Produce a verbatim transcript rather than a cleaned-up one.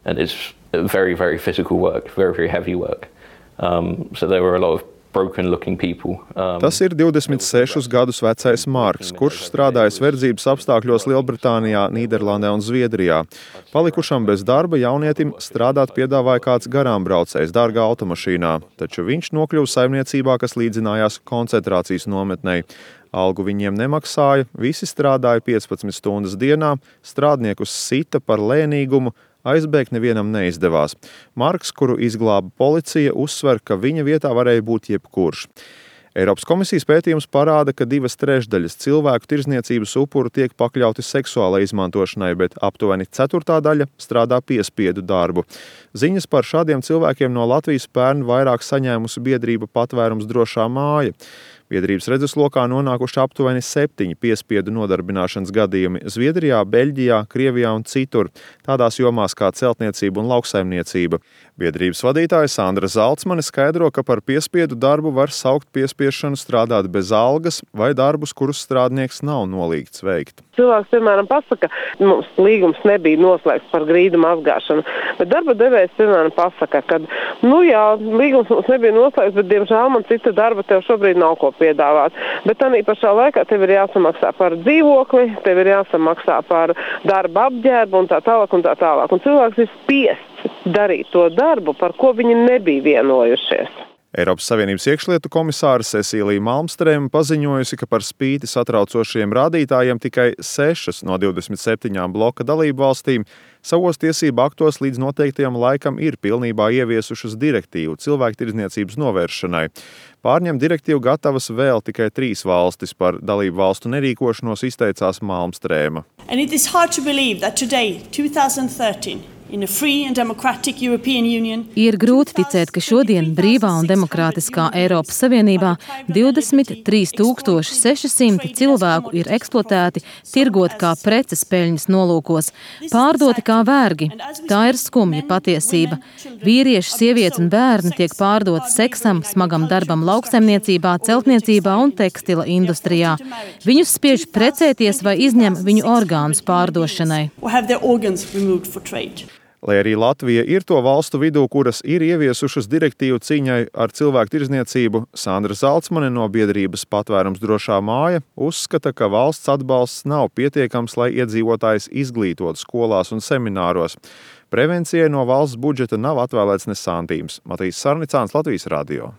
and it's very, very physical work, very, very heavy work. Um, so there were a lot of broken-looking people. Um, Tas ir divdesmit sešus gadus vecais Marks, kurš strādājis verdzības apstākļos Lielbritānijā, Nīderlandē un Zviedrijā. Palikušam bez darba jaunietim strādāt piedāvāja kāds garāmbraucējs dārgā automašīnā, taču viņš nokļuva saimniecībā, kas līdzinājās koncentrācijas nometnei. Algu viņiem nemaksāja, visi strādāja piecpadsmit stundas dienā, strādniekus sita par lēnīgumu, aizbēgt nevienam neizdevās. Marks, kuru izglāba policija, uzsver, ka viņa vietā varēja būt jebkurš. Eiropas komisijas pētījums parāda, ka divas trešdaļas cilvēku tirdzniecības upuru tiek pakļauti seksuālai izmantošanai, bet aptuveni ceturtā daļa strādā piespiedu darbu. Ziņas par šādiem cilvēkiem no Latvijas pērn vairāk saņēmusi biedrība Patvērums drošā māja. Biedrības redzeslokā nonākuši aptuveni septiņi piespiedu nodarbināšanas gadījumi Zviedrijā, Beļģijā, Krievijā un citur, tādās jomās kā celtniecība un lauksaimniecība. Biedrības vadītāja Sandra Zalcmane skaidro, ka par piespiedu darbu var saukt piespiešanu strādāt bez algas vai darbus, kurus strādnieks nav nolīgts veikt. Cilvēks, piemēram, pasaka, mums līgums nebija noslēgts par grīdu mazgāšanu, bet darba devējs, piemēram, pasaka, ka, nu jā, līgums mums nebija noslēgts, bet, diemžēl, man cita darba tev šobrīd nav ko piedāvāt. Bet tādā pašā laikā tev ir jāsamaksā par dzīvokli, tev ir jāsamaksā par darba apģērbu un tā tālāk un tā tālāk. Un cilvēks ir spiests darīt to darbu, par ko viņi nebija vienojušies. Eiropas Savienības iekšlietu komisāra Cecīlija Malmstrēma paziņojusi, ka par spīti satraucošiem rādītājiem tikai sešas no divdesmit septiņām bloka dalību valstīm savos tiesību aktos līdz noteiktajam laikam ir pilnībā ieviesušas direktīvu cilvēktirdzniecības novēršanai. Pārņem direktīvu gatavas vēl tikai trīs valstis, par dalību valstu nerīkošanos izteicās Malmstrēma. And it is hard to believe that today, twenty thirteen, in a free and democratic European Union, Ir grūti ticēt, ka šodien brīvā un demokrātiskā Eiropas Savienībā divdesmit trīs tūkstoši seši simti cilvēku ir eksploatēti, tirgoti kā preces peļņas nolūkos, pārdoti kā vergi. Tā ir skumja patiesība. Vīrieši, sievietes un bērni tiek pārdoti seksam, smagam darbam lauksaimniecībā, celtniecībā un tekstila industrijā. Viņus spiež precēties vai izņem viņu orgānus pārdošanai. or have their organs removed for trade. Lai arī Latvija ir to valstu vidū, kuras ir ieviesušas direktīvu cīņai ar cilvēku tirdzniecību, Sandra Zalcmane no biedrības Patvērums drošā māja uzskata, ka valsts atbalsts nav pietiekams, lai iedzīvotājs izglītotu skolās un semināros. Prevencijai no valsts budžeta nav atvēlēts ne santīms. Matīs Sarnicāns, Latvijas radio.